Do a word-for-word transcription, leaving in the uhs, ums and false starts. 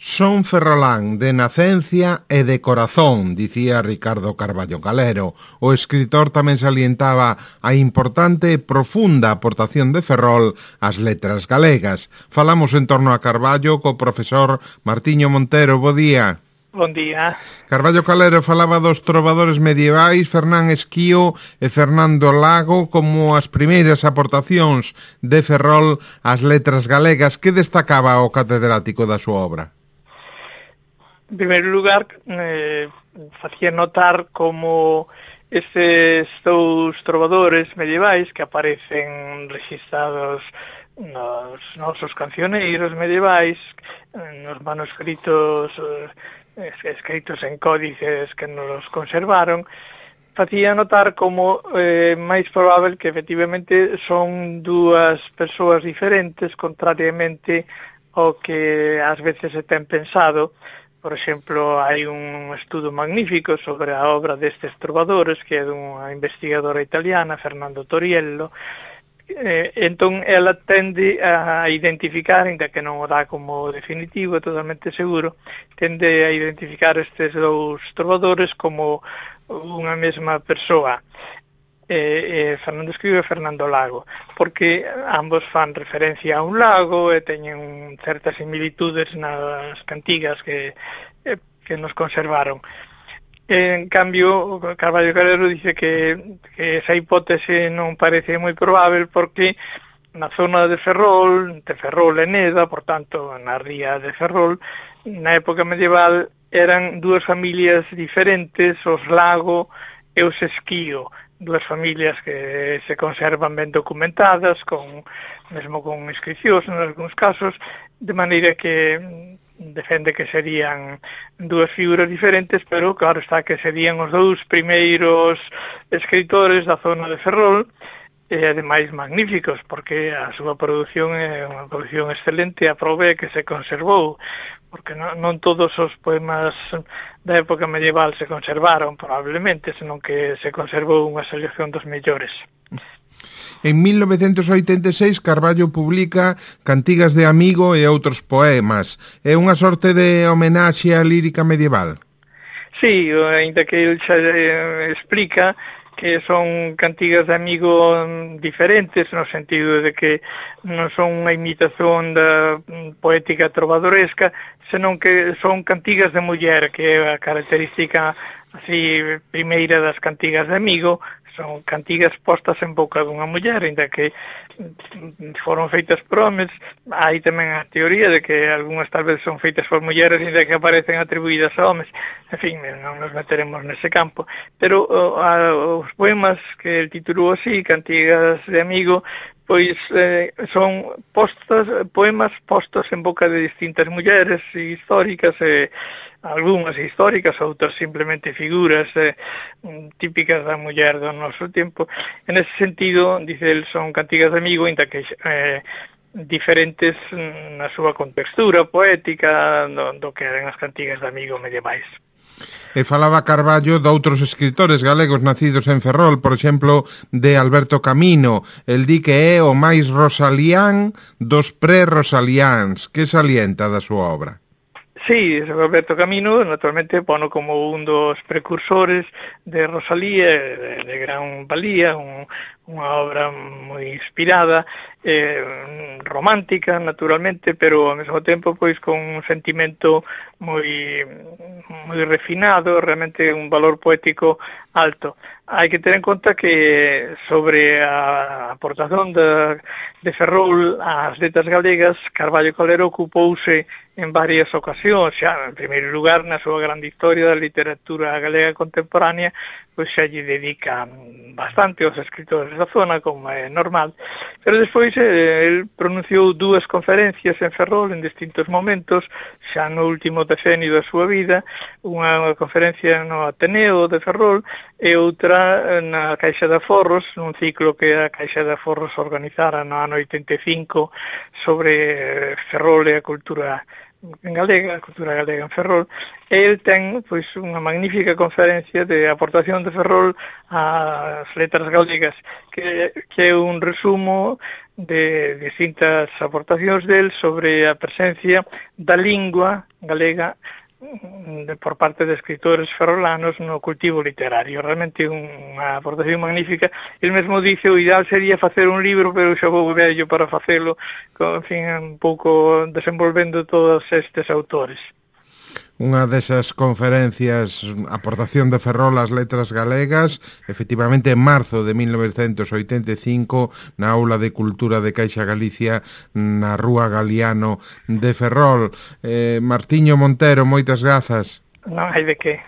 Son ferrolán de nacencia e de corazón, dicía Ricardo Carballo Calero. O escritor tamén salientaba a importante e profunda aportación de Ferrol ás letras galegas. Falamos en torno a Carballo co profesor Martiño Montero. Bo día. Bon día. Carballo Calero falaba dos trovadores medievais Fernán Esquío e Fernando Lago como as primeiras aportacións de Ferrol ás letras galegas. Que destacaba o catedrático da súa obra? En primeiro lugar, eh, facía notar como estes dous trovadores medievais que aparecen registrados nos nosos cancioneiros medievais, nos manuscritos eh, escritos en códices que nos conservaron, facía notar como eh, máis probable que efectivamente son dúas persoas diferentes, contrariamente ao que ás veces se ten pensado. Por exemplo, hai un estudo magnífico sobre a obra destes trovadores, que é dunha investigadora italiana, Fernando Toriello. Eh, entón, ela tende a identificar, ainda que non o dá como definitivo, totalmente seguro, tende a identificar estes dous trovadores como unha mesma persoa. Eh, eh, Fernando Esquío e Fernando Lago, porque ambos fan referencia a un lago e teñen certas similitudes nas cantigas que, eh, que nos conservaron. En cambio, Carballo Calero dice que, que esa hipótese non parece moi probável porque na zona de Ferrol, de Ferrol e Neda, por tanto, na ría de Ferrol, na época medieval eran dúas familias diferentes, os Lago e os Esquío, dúas familias que se conservan ben documentadas, con mesmo con inscripcións en algúns casos, de maneira que defende que serían dúas figuras diferentes, pero claro está que serían os dous primeiros escritores da zona de Ferrol, e ademais magníficos, porque a súa produción é unha produción excelente, a prova é que se conservou, porque non, non todos os poemas da época medieval se conservaron, probablemente, senón que se conservou unha selección dos mellores. En mil novecentos oitenta e seis, Carballo publica Cantigas de Amigo e outros poemas. É unha sorte de homenaxe á lírica medieval? Sí, ainda que ele xa eh, explica que son cantigas de amigo diferentes, no sentido de que non son unha imitación da poética trovadoresca, senón que son cantigas de muller, que é a característica así primeira das cantigas de amigo. Son cantigas postas en boca dunha muller, ainda que foron feitas por homes. Hai tamén a teoría de que algunhas tal vez son feitas por mulleres, ainda que aparecen atribuídas a homes. En fin, non nos meteremos nese campo. Pero a, os poemas que el titulou así, Cantigas de Amigo, pois eh, son postas, poemas postos en boca de distintas mulleres históricas, e algunhas históricas, outras simplemente figuras eh, típicas da muller do noso tempo. En ese sentido, dice el, son cantigas de amigo, ainda que eh, diferentes na súa contextura poética do, do que eran as cantigas de amigo medievais. E falaba Carballo de outros escritores galegos nacidos en Ferrol, por exemplo, de Alberto Camino. El di que é o máis rosalián dos pre-rosaliáns. Que salienta da súa obra? Sí, Alberto Camino, naturalmente, pono como un dos precursores de Rosalía, de, de gran valía, un, unha obra moi inspirada, eh, romántica, naturalmente, pero ao mesmo tempo, pois, con un sentimento moi, moi refinado, realmente un valor poético alto. Hai que ter en conta que sobre a aportación de, de Ferrol ás letras galegas, Carballo Calero ocupouse en varias ocasións, xa, en primeiro lugar, na súa grande historia da literatura galega contemporánea, pois xa lle dedica bastante aos escritores da zona, como é normal, pero despois eh, el pronunciou dúas conferencias en Ferrol en distintos momentos, xa no último decenio da súa vida, unha conferencia no Ateneo de Ferrol e outra na Caixa de Aforros, nun ciclo que a Caixa de Aforros organizara no ano oitenta e cinco sobre Ferrol e a cultura en galega, a cultura galega en Ferrol, e el ten pois unha magnífica conferencia de aportación de Ferrol ás letras galegas, que, que é un resumo de distintas aportacións del sobre a presencia da lingua galega de, por parte de escritores ferrolanos no cultivo literario. Realmente unha aportación magnífica. El mesmo dice o ideal sería facer un libro, pero xa vou vello para facelo, con, en fin, un pouco desenvolvendo todos estes autores. Unha desas conferencias, aportación de Ferrol ás letras galegas, efectivamente en marzo de mil novecentos oitenta e cinco, na Aula de Cultura de Caixa Galicia, na Rúa Galiano de Ferrol. Eh, Martiño Montero, moitas grazas. Non hai de que.